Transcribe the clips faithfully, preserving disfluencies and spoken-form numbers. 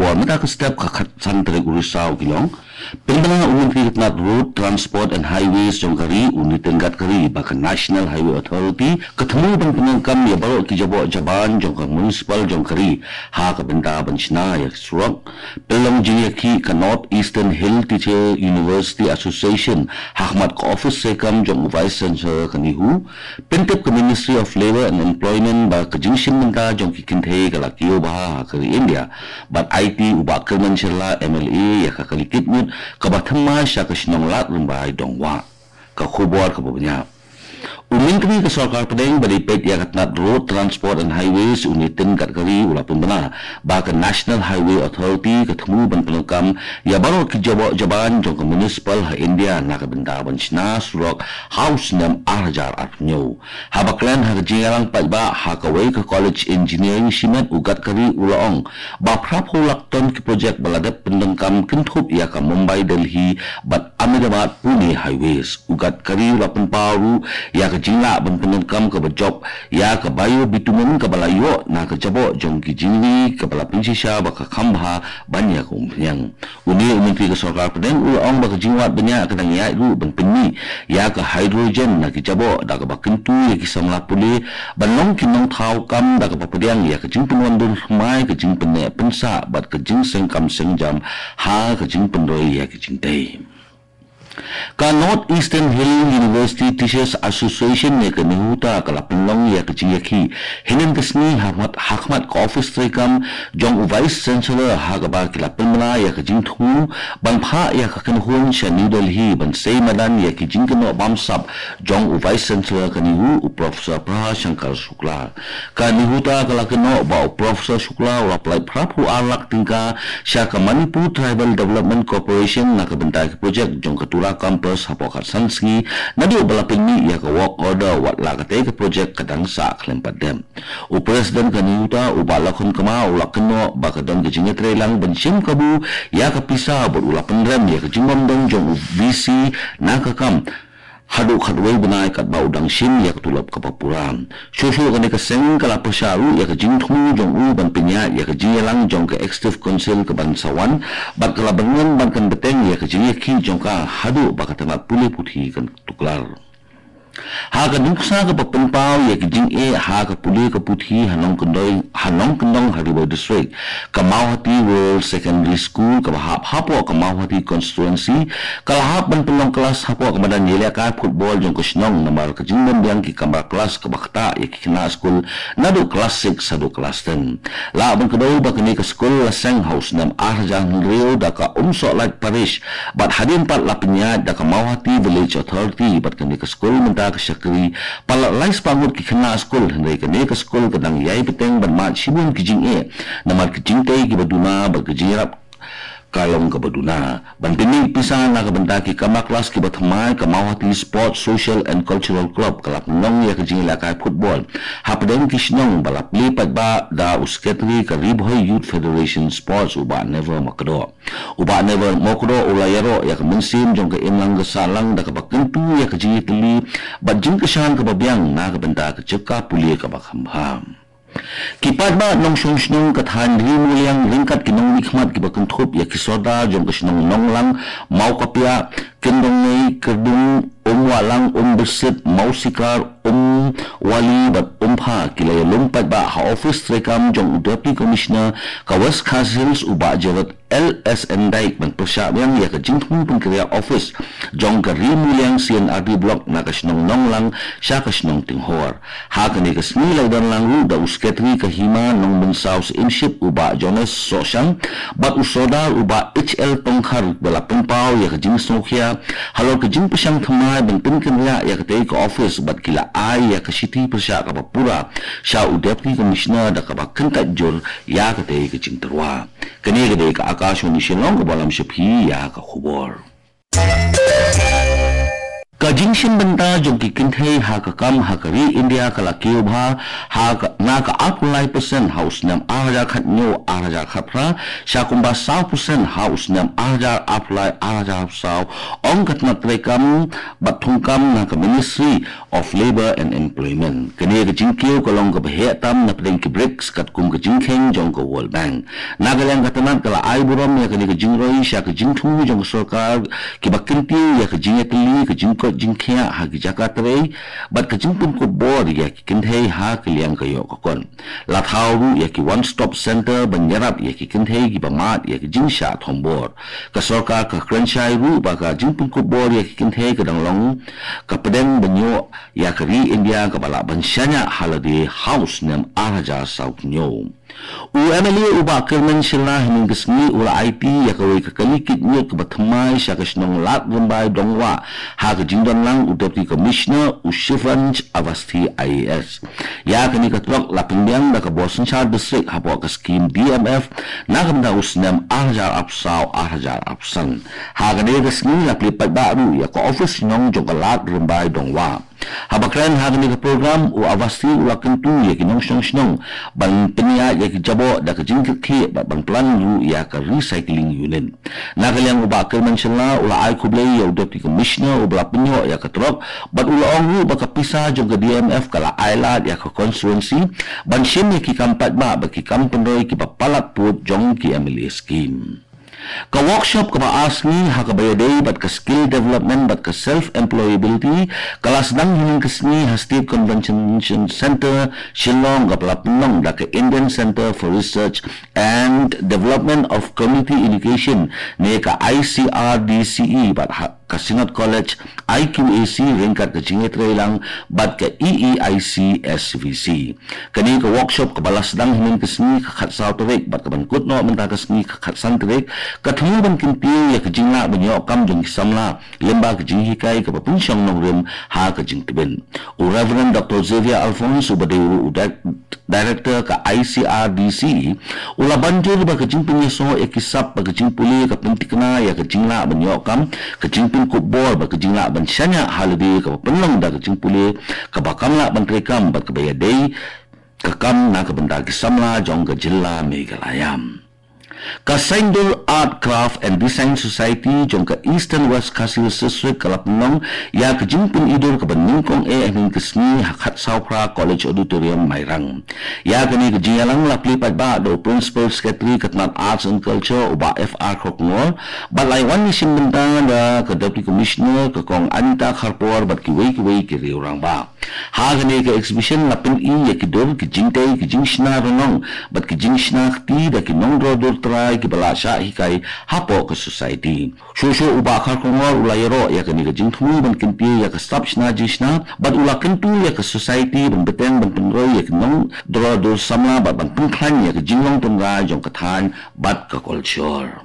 Por mynta ka step ka khatsan tarik u Risaw ki long. Pynbna u Myntri ka tnat Road Transport and Highways jong ka ri u Nitin Gadkari ba ka National Highway Authority ka thmu ban pyndonkam ïa baroh ki jaboh jaban jong ka municipal jong ka ri ha ka bynta ban shna ïa ki surok. Pynlong jingïakhih ka North Eastern Hill Teacher University Association ha khmat ka office treikam jong u Vice Chancellor ka NEHU. Pyntip ka Ministry of Labour and Employment ba ka jingshim bynta jong ki kynthei ka la kiew bha ha ka ri India. Bad aiti u Bah Kyrmen Shylla M L A ïa ka kali kit ngut kaba thymmai sha ka shnong Lad Rymbai Dongwah. Ka khubor kaba bniah. U Myntri ka Sorkar Pdeng ba dei peit ïa ka tnat Road Transport and Highways u Nitin Gadkari u la pynbna ba ka National Highway Authority ka thmu ban pyndonkam ïa baroh ki jaboh jaban jong ka municipal ha India na ka bynta ban shna surok ha u snem ar hajar arphew hynñiew. Haba kren ha ka jingïalang paidbah ha kawei ka College Engineering shimet u Gadkari u la ong ba phraphew lak ton ki projek ba la dep pyndonkam kynthup ïa ka Mumbai Delhi bad Ahmedabad Pune Highways. U Gadkari u la pynpaw ruh ïa ka jinglah ban pyndonkam kaba jop ïa ka biobitumen kaba la ïoh na ka jaboh jong ki jingri kaba la pynshisha ba ka kham bha ban ïa ka umphniang. Une u Myntri ka Sorkar Pdeng u la ong ba ka jingwad bniah ka dang ïaid ruh ban pynmih ïa ka hydrogen na ki jaboh da kaba kyntu ïa ki samla pule ban long ki nongthaw kam da kaba pdiang ïa ka jingpynwandur thymmai, ka jingpynneh pynsah bad ka jingseng kam seng jam ha ka jingpynroi ïa ka jingtei. Ka North Eastern Hill University Teachers Association ne ka NEHUTA ka la pynlong ïa ka jingïakhih hynnin ka sngi ha khmat, ha khmat ka office treikam jong u Vice Chancellor ha kaba ki la pynbna ïa ka jingthmu ban phah ïa ka kynhun sha New Delhi ban sei madan ïa ki jingkynnoh bamsap jong u Vice Chancellor ka NEHU u Professor Prabha Shankar Shukla. Ka NEHUTA ka la kynnoh ba u Professor Shukla u la pynlait phraphew ar lak tyngka sha ka Manipur Tribal Development Corporation na ka bynta ki projek jong ka Tura Campus hapoh khatsan sngi naduh ba la pynmih ïa ka work order, wat la katei ka projek ka dang sah khlem pat dep. U President ka NEHUTA u Bah Lakhon Kma u la kynnoh ba ka don ka jingïatreilang ban shim kabu ïa ka pisa bad u la pynrem ïa ka jingbym don jong u V C na ka kam haduh khatwei bnai katba u dang shim ïa ka tulop kaba pura. Shuh shuh kane ka seng ka la pyrshah ruh ïa ka jingthmu jong u ban pynïaid ïa ka jingïalang jong ka Executive Council kaban sa wan bad ka la bynrem ban kan bteng ïa ka jingïakhih jong ka haduh ba ka tnat pule puthi kan tuklar. Ha ka nuksa kaba pynpaw ïa ka jingeh ha ka pule ka puthi ha Nongkyndoi, ha Nongkyndong ha Ri Bhoi District, ka Mawhati Rural Secondary School kaba hap hapoh ka Mawhati Constituency ka la hap ban pynlong klas hapoh ka madan ïalehkai football jong ka shnong namar ka jingbym biang ki kamra klas kaba ktah ïa ki khynnah skul naduh klas six haduh klas ten. Lah ban kdew ba kane ka skul la seng ha u snem ar hajar hynriew da ka Umsohlait Parish bad hadien pat la pynïaid da ka Mawhati Village Authority bad kane ka skul mynta ka shakri palat lai spah ngut ki khynnah skul, hynrei kane ka skul ka dang ïai bteng ban mad shibun ki jingeh namar ki jingtei kiba duna bad ki jingïarap ka long kaba duna. Ban pynmih pisa na ka bynta ki kamra klas kiba thymmai, ka Mawhati Sports Social and Cultural Club ka la pynlong ïa ka jingïalehkai football hapdeng ki shnong ba la plie paidbah da u Secretary ka Ri Bhoi Youth Federation Sports u Bah Never Makdoh. U Bah Never Makdoh u la ïaroh ïa ka mynsiem jong ka imlang ka sahlang da kaba kyntu ïa ka jingïatylli bad jingkyrshan kaba biang na ka bynta ka jaka pule kaba kham bha. Ki paidbah nongshong shnong ka thaiñ Ri Muliang ryngkat ki nongmihkhmat kiba kynthup ïa ki sordar jong ka shnong Nonglang, Mawkapiah, Kyndongei, Kyrdung, Umwahlang, Umbyrsit, Mawsikar, Umwali bad Umpha ki la ïalum paidbah ha office treikam jong u Deputy Commissioner ka West Khasi Hills u Bah Jarod L S N Dyke ban pyrshah biang ïa ka jingthmu pynkynriah office jong ka Ri Muliang C and R D Block na ka shnong Nonglang sha ka shnong Tinghor. Ha kane ka sngi la ïadon lang ruh da u Secretary ka Hima Nongmynsaw Syiemship u Bah Jones Sohshang bad u Sordar u Bah H L Tongkhar ba la pynpaw ïa ka jingsngewkhia halor ka jingpyrshang thymmai ban pynkynriah ïa katei ka office bad ki la ai ïa ka shithi pyrshah kaba pura sha u Deputy Commissioner da kaba kyntait jur ïa katei ka jingtyrwa. Kane ka dei ka Akashvani Shillong kaba lam sha phi ïa ka khubor. Ka jingshim bynta jong ki kynthei ha ka kam ha ka ri India ka la kiew bha ha ka, na ka arphew lai percent ha u snem ar hajar khathynñiew ar hajar khatphra sha kumba saw percent ha u snem ar hajar arphew lai ar hajar arphew saw, ong ka tnat treikam bad thungkam na ka Ministry of Labour and Employment. Kane ka jingkiew ka long kaba heh tam na pdeng ki BRICS katkum ka jingkheiñ jong ka World Bank. Na ka liang ka tnat ka la ai burom ïa kane ka jingroi sha ka jingthmu jong ka sorkar kiba kyntiew ïa ka jingïatylli, ka jingkoit jingkhiah ha ki jaka trei bad ka jingpynkup bor ïa ki kynthei ha ka liang ka ïoh ka kot. La thaw ruh ïa ki One Stop Center ban ïarap ïa ki kynthei kiba mad ïa ka jingshah thombor. Ka sorkar ka kren shai ruh ba ka jingpynkup bor ïa ki kynthei ka dang long ka pdeng ban ïoh ïa ka ri India kaba lah ban shaniah ha lade ha u snem ar hajar saw hynñiew. U MLA u Bah Kyrmen Shylla hynnin ka sngi u la aiti ïa kawei ka kali kit ñiut kaba thymmai sha ka shnong Lad Rymbai Dongwah ha ka jingdonlang u Deputy Commissioner u Shivansh Awasthi IAS. Ïa kane ka trok la pynbiang da ka bor synshar district hapoh ka skim DMF na ka bynta u snem ar hajar arphew saw ar hajar arphew san. Ha kane ka sngi la plie paidbah ruh ïa ka office shnong jong ka Lad Rymbai Dongwah. Haba kren ha kane ka program u Awasthi u la kyntu ïa ki nongshong shnong ban pynïaid ïa ki jaboh da ka jingkyrkhlieh bad ban plan ruh ïa ka recycling unit. Na ka liang u Bah Kyrmen Shylla u la ai khublei ïa u Deputy Commissioner uba la pynïoh ïa ka trok bad u la ong ruh ba ka pisa jong ka DMF ka la ai lad ïa ka constituency ban shim ïa ki kam paidbah bad ki kam pynroi kiba palat pud jong ki MLA scheme. Ka workshop kaba ar sngi ha kaba ïadei bad ka skill development bad ka self employability ka la sdang hynnin ka sngi ha State Convention Centre Shillong kaba la pynlong da ka Indian Centre for Research and Development of Community Education ne ka ICRDCE bad ha ka Synod College IQAC ryngkat ka jingïatreilang bad ka EEIC SVC. Kane ka workshop kaba la sdang hynnin ka sngi ka khatsaw tarik bad kaban kut noh mynta ka sngi ka khatsan tarik ka thmu ban kyntiew ïa ka jinglah ban ïoh kam jong ki samla lyngba ka jinghikai kaba pynshong nongrim ha ka jingtbit. U Reverend Doctor Xavier Alphonse uba dei ruh u Director ka ICRDC u la ban jur ba ka jingpynïasoh ïa ki sap ba ka jingpule ka pynthikna ïa ka jinglah ban ïoh kam, ka jingpynkup bor ba ka jinglah ban shaniah ha lade kaba pynlong da ka jingpule kaba kam lah ban treikam bad kaba ïadei ka kam na ka bynta ki samla jong ka jylla Meghalaya. Ka Saindur Art Craft and Design Society jong ka Eastern West Khasi Hills District ka la pynlong ïa ka jingpynidur kaba nyngkong eh hynnin ka sngi ha khatsaw phra College Auditorium Mairang. Ïa kane ka jingïalang la plie paidbah da u Principal Secretary ka tnat Arts and Culture u Bah F R Kharkongor bad la wan ïashim bynta da ka Deputy Commissioner ka Kong Anita Kharpor bad kiwei kiwei ki riew rangbah. Ha kane ka exhibition la pyni ïa ki dur, ki jingtei, ki jingshna rnong bad ki jingshna kti da ki nongdro dur trai kiba la shah hikai hapoh ka society. Shuh shuh u Bah Kharkongor u la ïaroh ïa kane ka jingthmu ban kyntiew ïa ka sap shna jingshna bad u la kyntu ïa ka society ban bteng ban pynroi ïa ki nongdro dur samla bad ban pynkhlaiñ ïa ka jinglong tynrai jong ka thaiñ bad ka culture.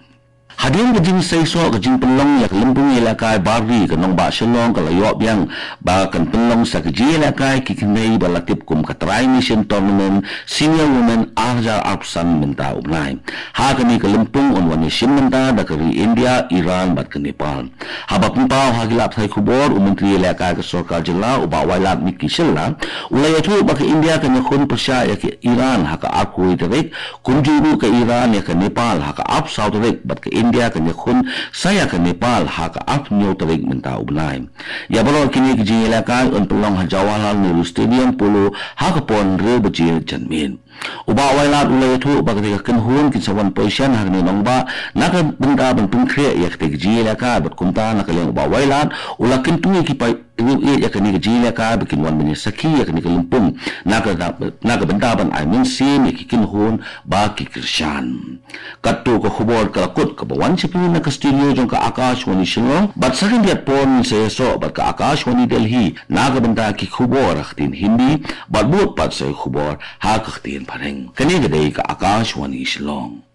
Hadien ka jingseisoh ka jingpynlong ïa ka lympung ïalehkai bar ri, ka nongbah Shillong ka la ïoh biang ba kan pynlong sa ka jingïalehkai ki kynthei ba la tip kum ka Tri Nation Tournament Senior Women ar hajar arphew san mynta u bnai. Ha kane ka lympung yn wan ïashim bynta da ka ri India, Iran bad ka Nepal. Haba pynpaw ha ki lad pathai khubor, u Myntri ïalehkai ka sorkar jylla u Bah Wailadmiki Shylla u la ïathuh ba ka India kan ïakhun pyrshah ïa ka Iran ha ka arphew wei tarik, kumjuh ruh ka Iran ïa ka Nepal ha ka arphew saw tarik bad ka India kan ïakhun sa ïa ka Nepal ha ka arphew hynñiew tarik mynta u bnai. Ïa baroh kine ki jingïalehkai yn pynlong ha Jawaharlal Nehru Stadium Polo ha ka por hynriew baje janmiet. U Bah Wailad u la ïathuh ba kane ka kynhun kin sa wan position ha kane ka nongbah na ka bynta ban pynkhreh ïa kata ka jingïalehkai bad kumta na ka liang u Bah Wailad u la kyntu ïa ki paidbah ïa kane ka jingïalehkai ba kin wan ban ïasakhi ïa kane ka lympung na ka, na ka bynta ban ai mynsiem ïa ki kynhun ba ki kyrshan. Katto ka khubor ka la kut kaba wan sha phi na ka studio jong ka Akashvani Shillong bad sa khyndiat por ngin sa ïasoh bad ka Akashvani Delhi na ka bynta ki khubor ha ka ktien Hindi bad bud pat sa ki khubor ha ka ktien Phareng. Kane ka dei ka Akashvani Shillong.